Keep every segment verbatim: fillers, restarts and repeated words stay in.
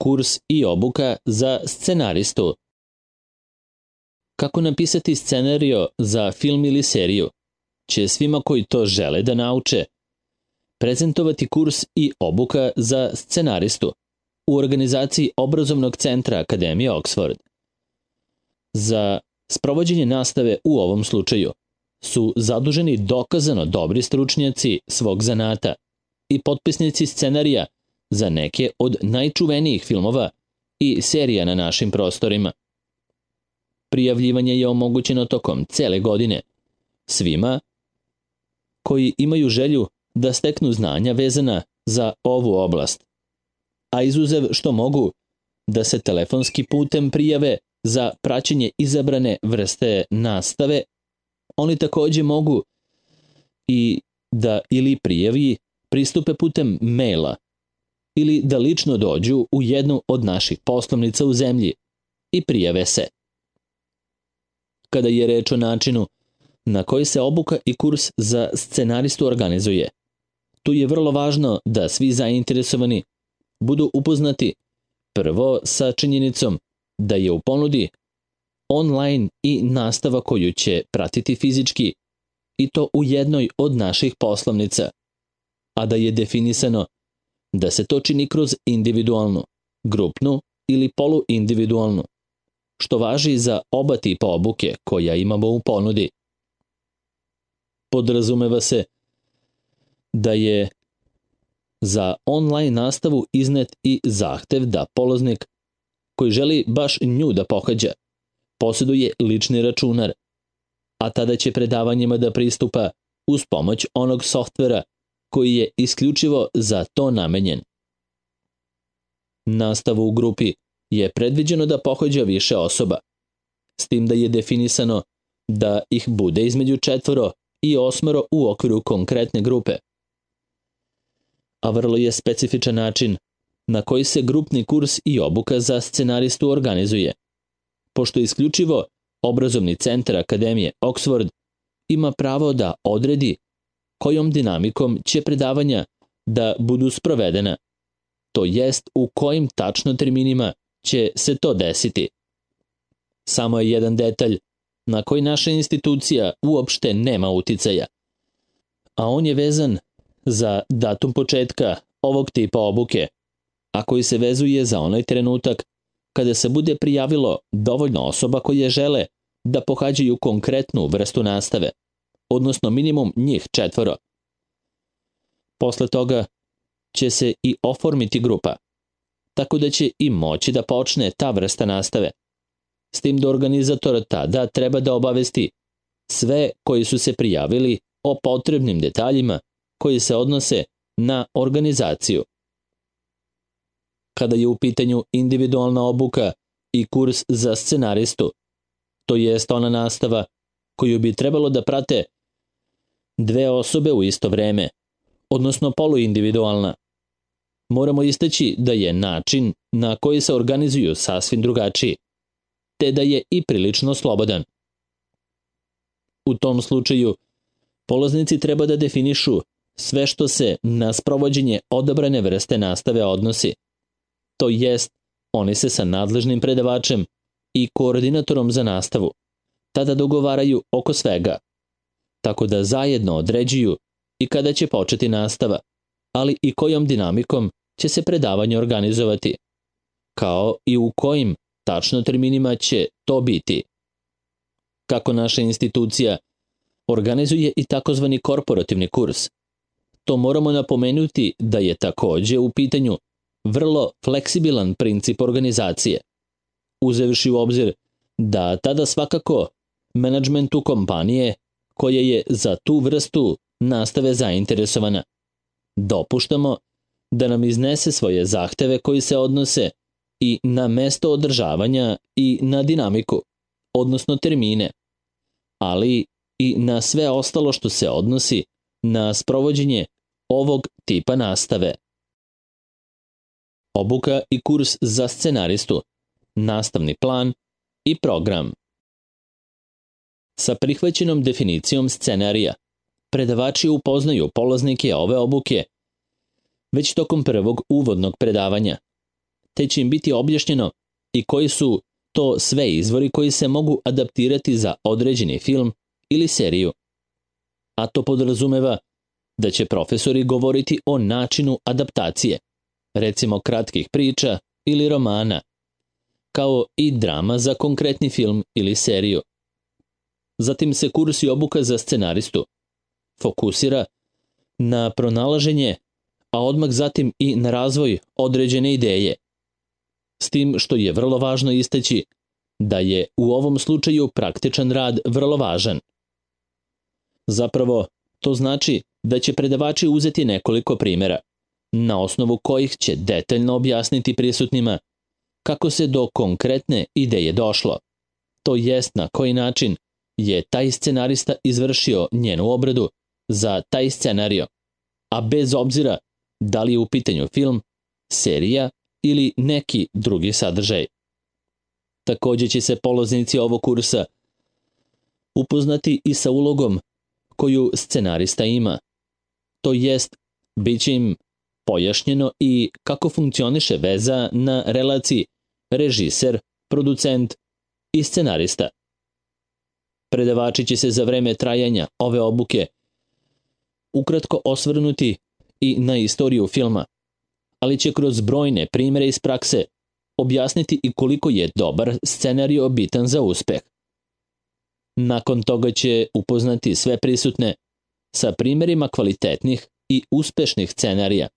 kurs i obuka za scenaristu. Kako napisati scenario za film ili seriju će svima koji to žele da nauče prezentovati kurs i obuka za scenaristu u organizaciji obrazovnog centra Akademije Oxford. Za sprovođenje nastave u ovom slučaju su zaduženi dokazano dobri stručnjaci svog zanata i potpisnici scenarija za neke od najčuvenijih filmova i serija na našim prostorima. Prijavljivanje je omogućeno tokom cele godine svima koji imaju želju da steknu znanja vezana za ovu oblast, a izuzev što mogu da se telefonski putem prijave za praćenje izabrane vrste nastave, oni takođe mogu i da ili prijavi pristupe putem maila ili da lično dođu u jednu od naših poslovnica u zemlji i prijave se. Kada je reč o načinu na koji se obuka i kurs za scenaristu organizuje, tu je vrlo važno da svi zainteresovani budu upoznati prvo sa činjenicom da je u ponudi online i nastava koju će pratiti fizički i to u jednoj od naših poslovnica, a da je definisano da se to čini kroz individualnu, grupnu ili poluindividualnu, što važi za oba tipa obuke koja imamo u ponudi. Podrazumeva se da je za online nastavu iznet i zahtev da polaznik koji želi baš nju da pohađa posjeduje lični računar, a tada će predavanjima da pristupa uz pomoć onog softvera koji je isključivo za to namenjen. Nastavu u grupi je predviđeno da pohađa više osoba, s tim da je definisano da ih bude između četvoro i osmoro u okviru konkretne grupe. A vrlo je specifičan način na koji se grupni kurs i obuka za scenaristu organizuje, pošto isključivo obrazovni centar Akademije Oxford ima pravo da odredi kojom dinamikom će predavanja da budu sprovedena, to jest u kojim tačno terminima će se to desiti. Samo je jedan detalj na koji naša institucija uopšte nema uticaja, a on je vezan za datum početka ovog tipa obuke, a koji se vezuje za onaj trenutak kada se bude prijavilo dovoljno osoba koje žele da pohađaju konkretnu vrstu nastave, odnosno minimum njih četvoro. Posle toga će se i oformiti grupa, tako da će i moći da počne ta vrsta nastave, s tim da organizator tada treba da obavesti sve koji su se prijavili o potrebnim detaljima koji se odnose na organizaciju. Kada je u pitanju individualna obuka i kurs za scenaristu, to jest ona nastava koju bi trebalo da prate dve osobe u isto vreme, odnosno poluindividualna, moramo istaći da je način na koji se organizuju sasvim drugačiji, te da je i prilično slobodan. U tom slučaju, polaznici treba da definišu sve što se na sprovođenje odabrane vrste nastave odnosi, to jest oni se sa nadležnim predavačem i koordinatorom za nastavu tada dogovaraju oko svega, tako da zajedno određuju i kada će početi nastava, ali i kojom dinamikom će se predavanje organizovati, kao i u kojim tačno terminima će to biti. Kako naša institucija organizuje i takozvani korporativni kurs, to moramo napomenuti da je takođe u pitanju vrlo fleksibilan princip organizacije, uzevši u obzir da tada svakako menadžmentu kompanije koja je za tu vrstu nastave zainteresovana dopuštamo da nam iznese svoje zahteve koji se odnose i na mesto održavanja i na dinamiku, odnosno termine, ali i na sve ostalo što se odnosi na sprovođenje ovog tipa nastave. Obuka i kurs za scenaristu, nastavni plan i program. Sa prihvaćenom definicijom scenarija, predavači upoznaju polaznike ove obuke već tokom prvog uvodnog predavanja, te će im biti objašnjeno i koji su to sve izvori koji se mogu adaptirati za određeni film ili seriju. A to podrazumeva da će profesori govoriti o načinu adaptacije, recimo kratkih priča ili romana, kao i drama za konkretni film ili seriju. Zatim se kurs i obuka za scenaristu fokusira na pronalaženje, a odmah zatim i na razvoj određene ideje. S tim što je vrlo važno istaći da je u ovom slučaju praktičan rad vrlo važan. Zapravo, to znači da će predavači uzeti nekoliko primjera, na osnovu kojih će detaljno objasniti prisutnima kako se do konkretne ideje došlo, to jest na koji način je taj scenarista izvršio njenu obradu za taj scenario, a bez obzira da li je u pitanju film, serija ili neki drugi sadržaj. Također će se polaznici ovog kursa upoznati i sa ulogom koju scenarista ima, to jest bit će im pojašnjeno i kako funkcioniše veza na relaciji režiser, producent i scenarista. Predavači će se za vreme trajanja ove obuke ukratko osvrnuti i na istoriju filma, ali će kroz brojne primjere iz prakse objasniti i koliko je dobar scenario bitan za uspeh. Nakon toga će upoznati sve prisutne sa primjerima kvalitetnih i uspešnih scenarija,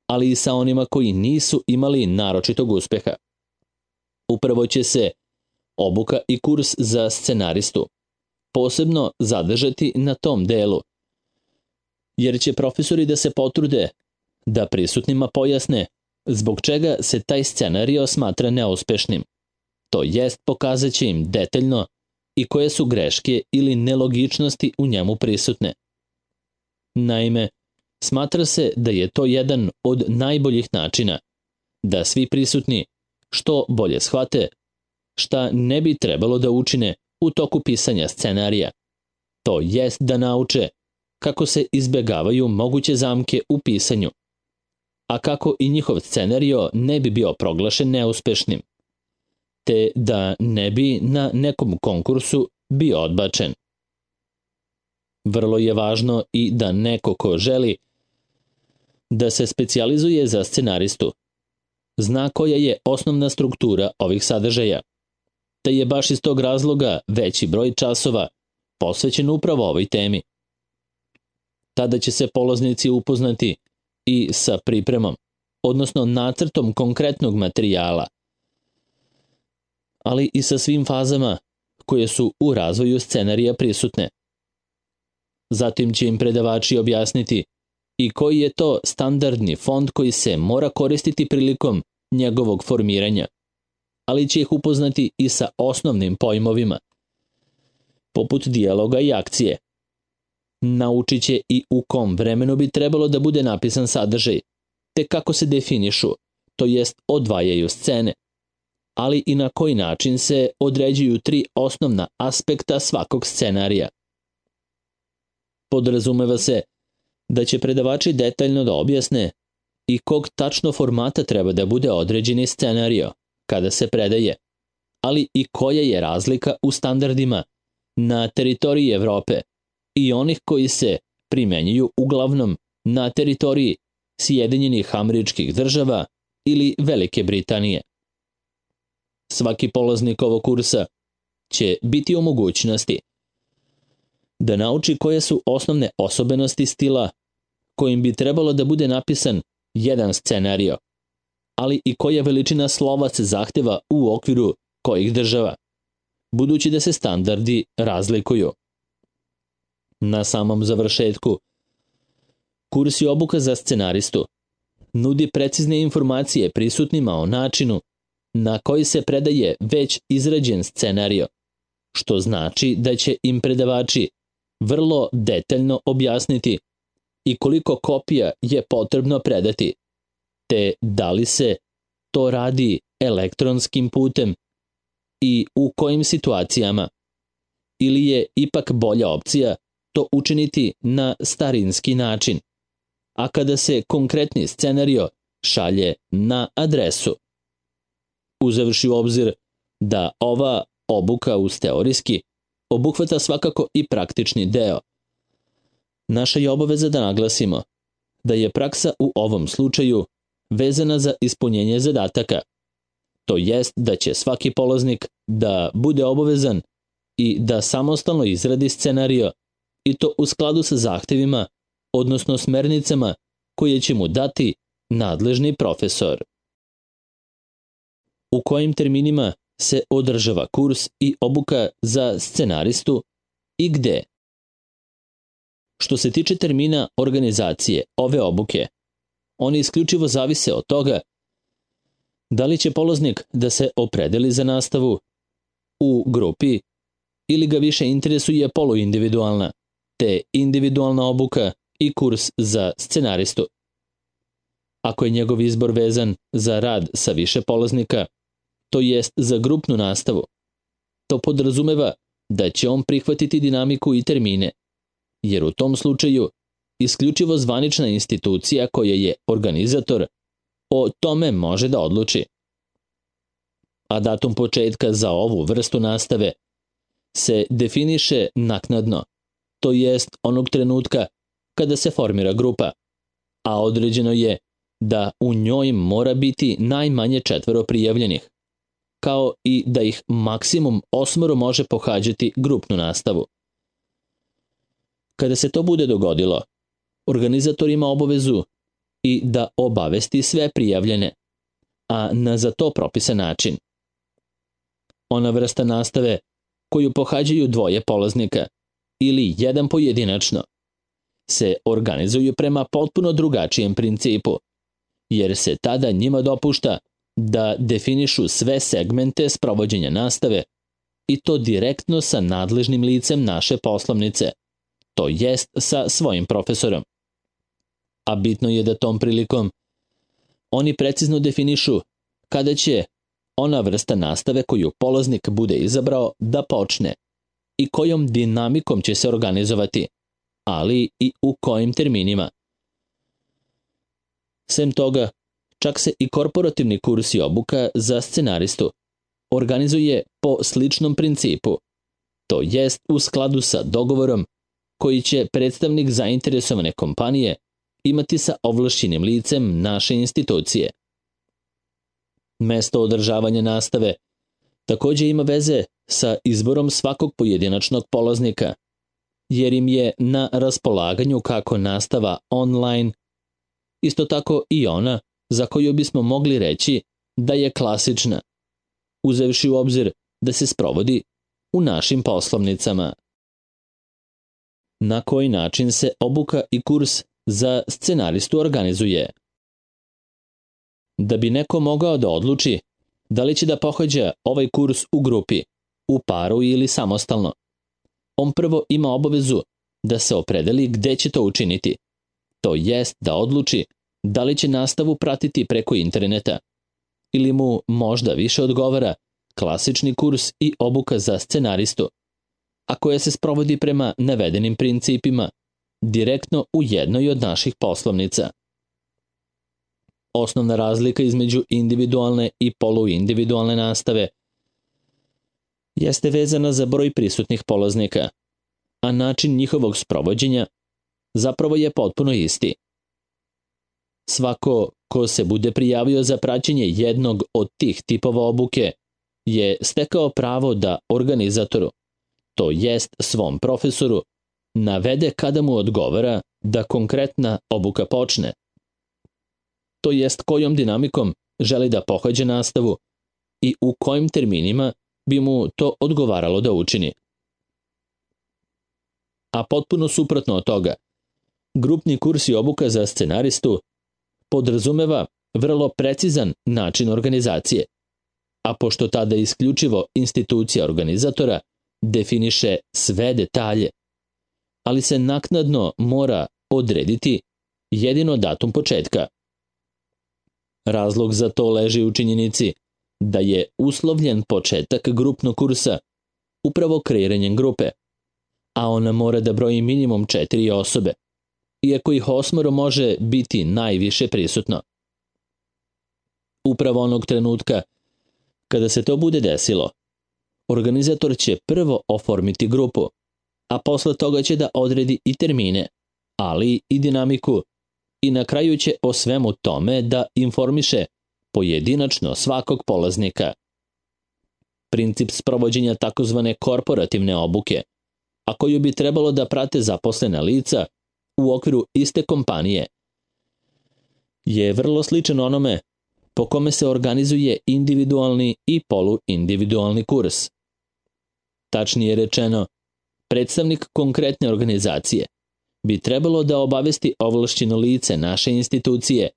ali i sa onima koji nisu imali naročitog uspeha. Upravo će se obuka i kurs za scenaristu posebno zadržati na tom delu, jer će profesori da se potrude da prisutnima pojasne zbog čega se taj scenario smatra neuspešnim, to jest pokazat će im detaljno i koje su greške ili nelogičnosti u njemu prisutne. Naime, smatra se da je to jedan od najboljih načina da svi prisutni što bolje shvate šta ne bi trebalo da učine u toku pisanja scenarija, to jest da nauče kako se izbegavaju moguće zamke u pisanju, a kako i njihov scenario ne bi bio proglašen neuspešnim, te da ne bi na nekom konkursu bio odbačen. Vrlo je važno i da neko ko želi da se specijalizuje za scenaristu zna koja je osnovna struktura ovih sadržaja, te je baš iz tog razloga veći broj časova posvećen upravo ovoj temi. Tada će se polaznici upoznati i sa pripremom, odnosno nacrtom konkretnog materijala, ali i sa svim fazama koje su u razvoju scenarija prisutne. Zatim će im predavači objasniti i koji je to standardni font koji se mora koristiti prilikom njegovog formiranja, ali će ih upoznati i sa osnovnim pojmovima, poput dijaloga i akcije. Naučit će i u kom vremenu bi trebalo da bude napisan sadržaj, te kako se definišu, to jest odvajaju scene, ali i na koji način se određuju tri osnovna aspekta svakog scenarija. Podrazumeva se da će predavači detaljno da objasne i kog tačno formata treba da bude određeni scenario kada se predaje, ali i koja je razlika u standardima na teritoriji Evrope i onih koji se primenjuju uglavnom na teritoriji Sjedinjenih Američkih Država ili Velike Britanije. Svaki polaznik ovog kursa će biti u mogućnosti da nauči koje su osnovne osobenosti stila kojim bi trebalo da bude napisan jedan scenario, ali i koja veličina slova se zahteva u okviru kojih država, budući da se standardi razlikuju. Na samom završetku, kurs i obuka za scenaristu nudi precizne informacije prisutnima o načinu na koji se predaje već izrađen scenario, što znači da će im predavači vrlo detaljno objasniti i koliko kopija je potrebno predati, te da li se to radi elektronskim putem i u kojim situacijama, ili je ipak bolja opcija to učiniti na starinski način, a kada se konkretni scenario šalje na adresu. uzevši u obzir da ova obuka uz teorijski obuhvata svakako i praktični deo. Naša je obaveza da naglasimo da je praksa u ovom slučaju vezana za ispunjenje zadataka. To jest da će svaki polaznik da bude obavezan i da samostalno izradi scenario i to u skladu sa zahtevima, odnosno smernicama koje će mu dati nadležni profesor. U kojim terminima se održava kurs i obuka za scenaristu i gde? Što se tiče termina organizacije ove obuke, oni isključivo zavise od toga da li će polaznik da se opredeli za nastavu u grupi ili ga više interesuje poluindividualna, te individualna obuka i kurs za scenaristu. Ako je njegov izbor vezan za rad sa više polaznika, to jest za grupnu nastavu, to podrazumeva da će on prihvatiti dinamiku i termine, jer u tom slučaju isključivo zvanična institucija koja je organizator o tome može da odluči. A datum početka za ovu vrstu nastave se definiše naknadno, to jest onog trenutka kada se formira grupa, a određeno je da u njoj mora biti najmanje četvoro prijavljenih, kao i da ih maksimum osmoro može pohađati grupnu nastavu. Kada se to bude dogodilo, organizator ima obavezu i da obavesti sve prijavljene, a na za to propisan način. Ona vrsta nastave koju pohađaju dvoje polaznika ili jedan pojedinačno se organizuju prema potpuno drugačijem principu, jer se tada njima dopušta da definišu sve segmente sprovođenja nastave i to direktno sa nadležnim licem naše poslovnice, to jest sa svojim profesorom. A bitno je da tom prilikom oni precizno definišu kada će ona vrsta nastave koju polaznik bude izabrao da počne i kojom dinamikom će se organizovati, ali i u kojim terminima. Sem toga, čak se i korporativni kurs i obuka za scenaristu organizuje po sličnom principu, to jest u skladu sa dogovorom koji će predstavnik zainteresovane kompanije imati sa ovlašćenim licem naše institucije. Mesto održavanja nastave takođe ima veze sa izborom svakog pojedinačnog polaznika, jer im je na raspolaganju kako nastava online, isto tako i ona za koju bismo mogli reći da je klasična, uzevši u obzir da se sprovodi u našim poslovnicama. Na koji način se obuka i kurs za scenaristu organizuje? Da bi neko mogao da odluči da li će da pohađa ovaj kurs u grupi, u paru ili samostalno, on prvo ima obavezu da se opredeli gde će to učiniti, to jest da odluči da li će nastavu pratiti preko interneta ili mu možda više odgovara klasični kurs i obuka za scenaristu, a koja se sprovodi prema navedenim principima direktno u jednoj od naših poslovnica. Osnovna razlika između individualne i poluindividualne nastave jeste vezana za broj prisutnih polaznika, a način njihovog sprovođenja zapravo je potpuno isti. Svako ko se bude prijavio za praćenje jednog od tih tipova obuke je stekao pravo da organizatoru, to jest svom profesoru, navede kada mu odgovara da konkretna obuka počne, to jest kojom dinamikom želi da pohađa nastavu i u kojim terminima bi mu to odgovaralo da učini. A potpuno suprotno od toga, grupni kurs i obuka za scenaristu podrazumeva vrlo precizan način organizacije, a pošto tada isključivo institucija organizatora definiše sve detalje, ali se naknadno mora odrediti jedino datum početka. Razlog za to leži u činjenici da je uslovljen početak grupnog kursa upravo kreiranjem grupe, a ona mora da broji minimum četiri osobe, iako ih osmoro može biti najviše prisutno. Upravo onog trenutka Kada se to bude desilo, organizator će prvo oformiti grupu, a posle toga će da odredi i termine, ali i dinamiku, i na kraju će o svemu tome da informiše pojedinačno svakog polaznika. Princip sprovođenja takozvane korporativne obuke, a koju bi trebalo da prate zaposlena lica u okviru iste kompanije, je vrlo sličan onome po kome se organizuje individualni i poluindividualni kurs. Tačnije rečeno, predstavnik konkretne organizacije bi trebalo da obavesti ovlašćeno lice naše institucije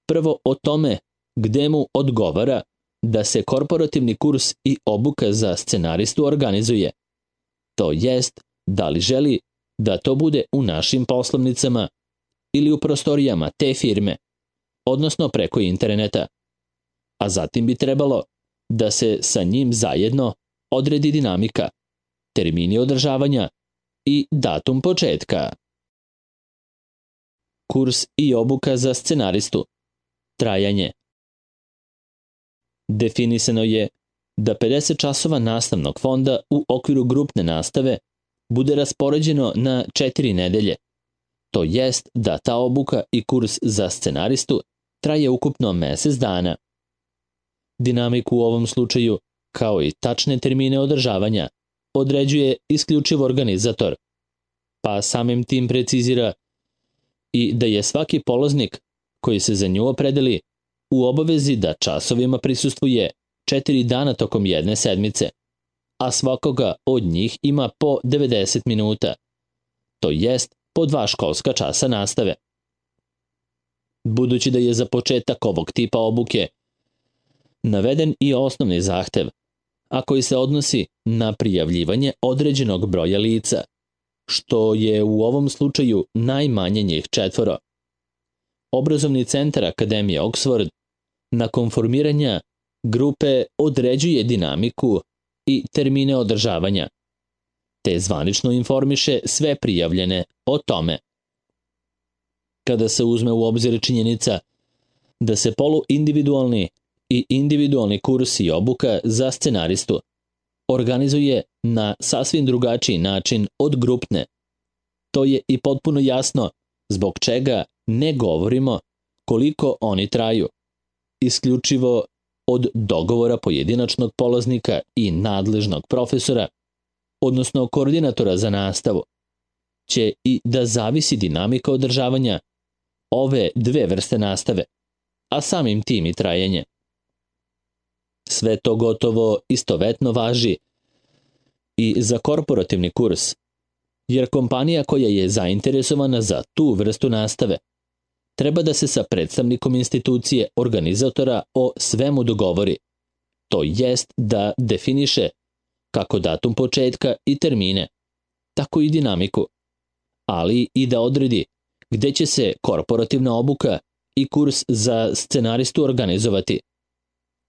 prvo o tome gde mu odgovara da se korporativni kurs i obuka za scenaristu organizuje. To jest, da li želi da to bude u našim poslovnicama ili u prostorijama te firme, odnosno preko interneta. A zatim bi trebalo da se sa njim zajedno odredi dinamika, termini održavanja i datum početka. Kurs i obuka za scenaristu. Trajanje. Definisano je da pedeset časova nastavnog fonda u okviru grupne nastave bude raspoređeno na četiri nedelje. To jest da ta obuka i kurs za scenaristu traje ukupno mesec dana. Dinamiku u ovom slučaju, kao i tačne termine održavanja, određuje isključivo organizator, pa samim tim precizira i da je svaki polaznik koji se za nju opredeli u obavezi da časovima prisustvuje četiri dana tokom jedne sedmice, a svakoga od njih ima po devedeset minuta, to jest po dva školska časa nastave. Budući da je za početak ovog tipa obuke naveden i osnovni zahtev, a koji se odnosi na prijavljivanje određenog broja lica, što je u ovom slučaju najmanje njih četvoro. Obrazovni centar Akademije Oxford nakon formiranja grupe određuje dinamiku i termine održavanja, te zvanično informiše sve prijavljene o tome. Kada se uzme u obzir činjenica da se poluindividualni i individualni kurs i obuka za scenaristu organizuje na sasvim drugačiji način od grupne, to je i potpuno jasno zbog čega ne govorimo koliko oni traju, isključivo od dogovora pojedinačnog polaznika i nadležnog profesora, odnosno koordinatora za nastavu, će i da zavisi dinamika održavanja ove dve vrste nastave, a samim tim i trajanje. Sve to gotovo istovetno važi i za korporativni kurs, jer kompanija koja je zainteresovana za tu vrstu nastave treba da se sa predstavnikom institucije organizatora o svemu dogovori, to jest da definiše kako datum početka i termine, tako i dinamiku, ali i da odredi gde će se korporativna obuka i kurs za scenaristu organizovati.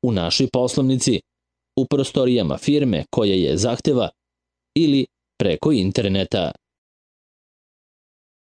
U našoj poslovnici, u prostorijama firme koja je zahteva ili preko interneta.